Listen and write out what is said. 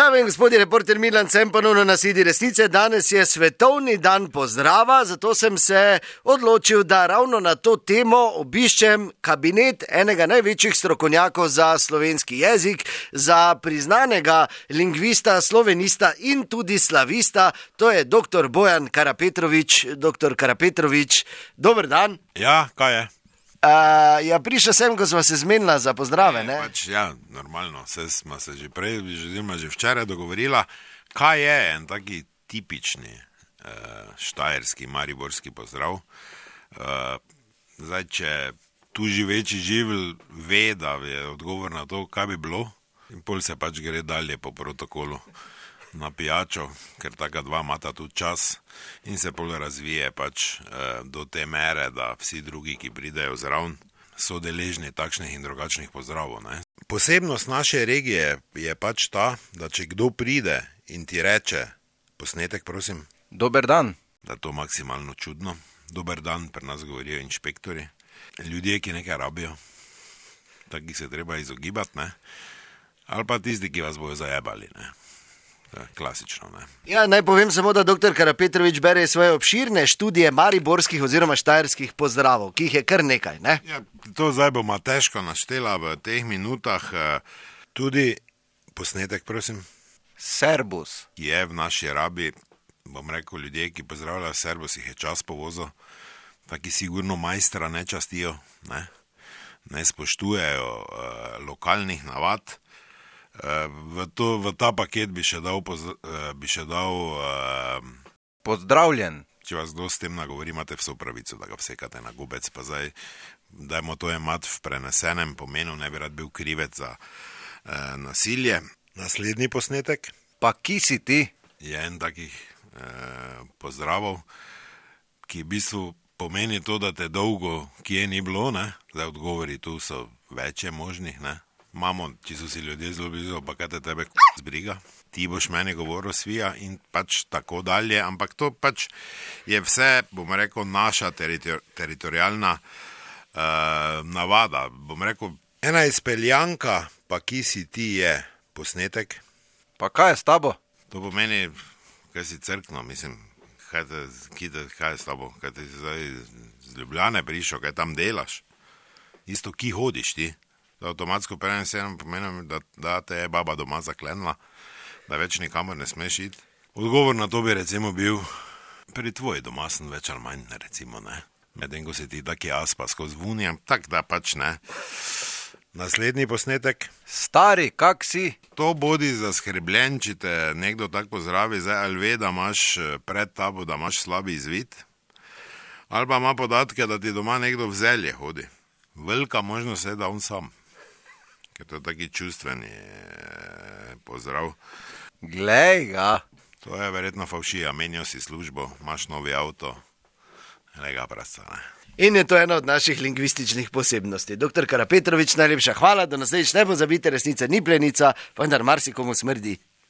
Dame in gospodje, reporter Milan Cem ponovno na Sidi resnice. Danes je svetovni dan pozdrava, zato sem se odločil, da ravno na to temo obiščem kabinet enega največjih strokovnjakov za slovenski jezik, za priznanega lingvista, slovenista in tudi slavista, to je dr. Bojan Karapetrovič. Dr. Karapetrovič, dober dan. Ja, kaj je? Prišel sem, ko smo se zmenila za pozdrave, ne? Normalno, smo se že prej, že včeraj dogovorila, kaj je en taki tipični štajerski, mariborski pozdrav. Zdaj, če tu živeči živelj ve, da je odgovor na to, kaj bi bilo, in pol se pač gre dalje po protokolu na pijačo, ker taka dva imata tudi čas in se pol razvije pač do te mere, da vsi drugi, ki pridejo zraven, so deležni takšnih in drugačnih pozdravov, ne. Posebnost naše regije je pač ta, da če kdo pride in ti reče, posnetek prosim, dober dan, da je to maksimalno čudno. Dober dan, pri nas govorijo inšpektori, ljudje, ki nekaj rabijo, takih se treba izogibati, ne, ali pa tisti, ki vas bojo zajebali, ne. Klasično, ne. Ja, naj povem samo, da dr. Karapetrovič bere svoje obširne študije mariborskih oziroma štajerskih pozdravov, ki jih je kar nekaj, ne? Ja, to zdaj bomo težko naštela v teh minutah. Tudi posnetek, prosim. servus, Je v naši rabi, bom rekel, ljudje, ki pozdravljajo servus, jih je čas povozil, taki sigurno majstra ne častijo, ne spoštujejo lokalnih navad. V ta paket bi še dal, pozdravljen, če vas kdo s tem nagovori, imate vso pravico, da ga vsekate na gubec, pa zdaj dajmo to jemati v prenesenem pomenu, ne bi rad bil krivec za nasilje. Naslednji posnetek pa ki si ti? je en takih pozdravov, ki v bistvu pomeni to, da te dolgo kje ni bilo, ne? Zdaj odgovori tu so večje možnih, ne? Mamo, če so si ljudje zelo blizu, pa kaj te tebe zbriga, ti boš meni govoril svija in pač tako dalje, ampak to pač je vse, bom rekel, naša teritorialna navada, bom rekel, ena izpeljanka, pa ki si ti je posnetek, Pa kaj je s tabo? to pomeni, kaj si crkno, mislim, kaj je s tabo, kaj ti zdaj z Ljubljane prišel, kaj tam delaš, isto ki hodiš ti. Avtomatsko prenesenem pomeni, da te je baba doma zaklenila, da več nikamor ne smeš iti. Odgovor na to bi recimo bil, pri tvoji doma sem več ali manj, recimo, ne. Medtem, ko si ti taki aspa skozi vunjem, tak da pač ne. Naslednji posnetek. Stari, kak si? To bodi zaskrbljen, če te nekdo tako pozdravi, zdaj ali ve, da imaš pred tabo, da imaš slabi izvid, ali pa ima podatke, da ti doma nekdo v zelje hodi. Velika možnost je, da on sam. Ker to je taki čustveni pozdrav. Glej ga, To je verjetno favšija, menil si službo, imaš novi avto, lega prasca, ne. In je to ena od naših lingvističnih posebnosti. Dr. Karapetrovič, najlepša hvala, do naslednjič ne pozabite, resnica ni plenica, vendar marsikomu smrdi.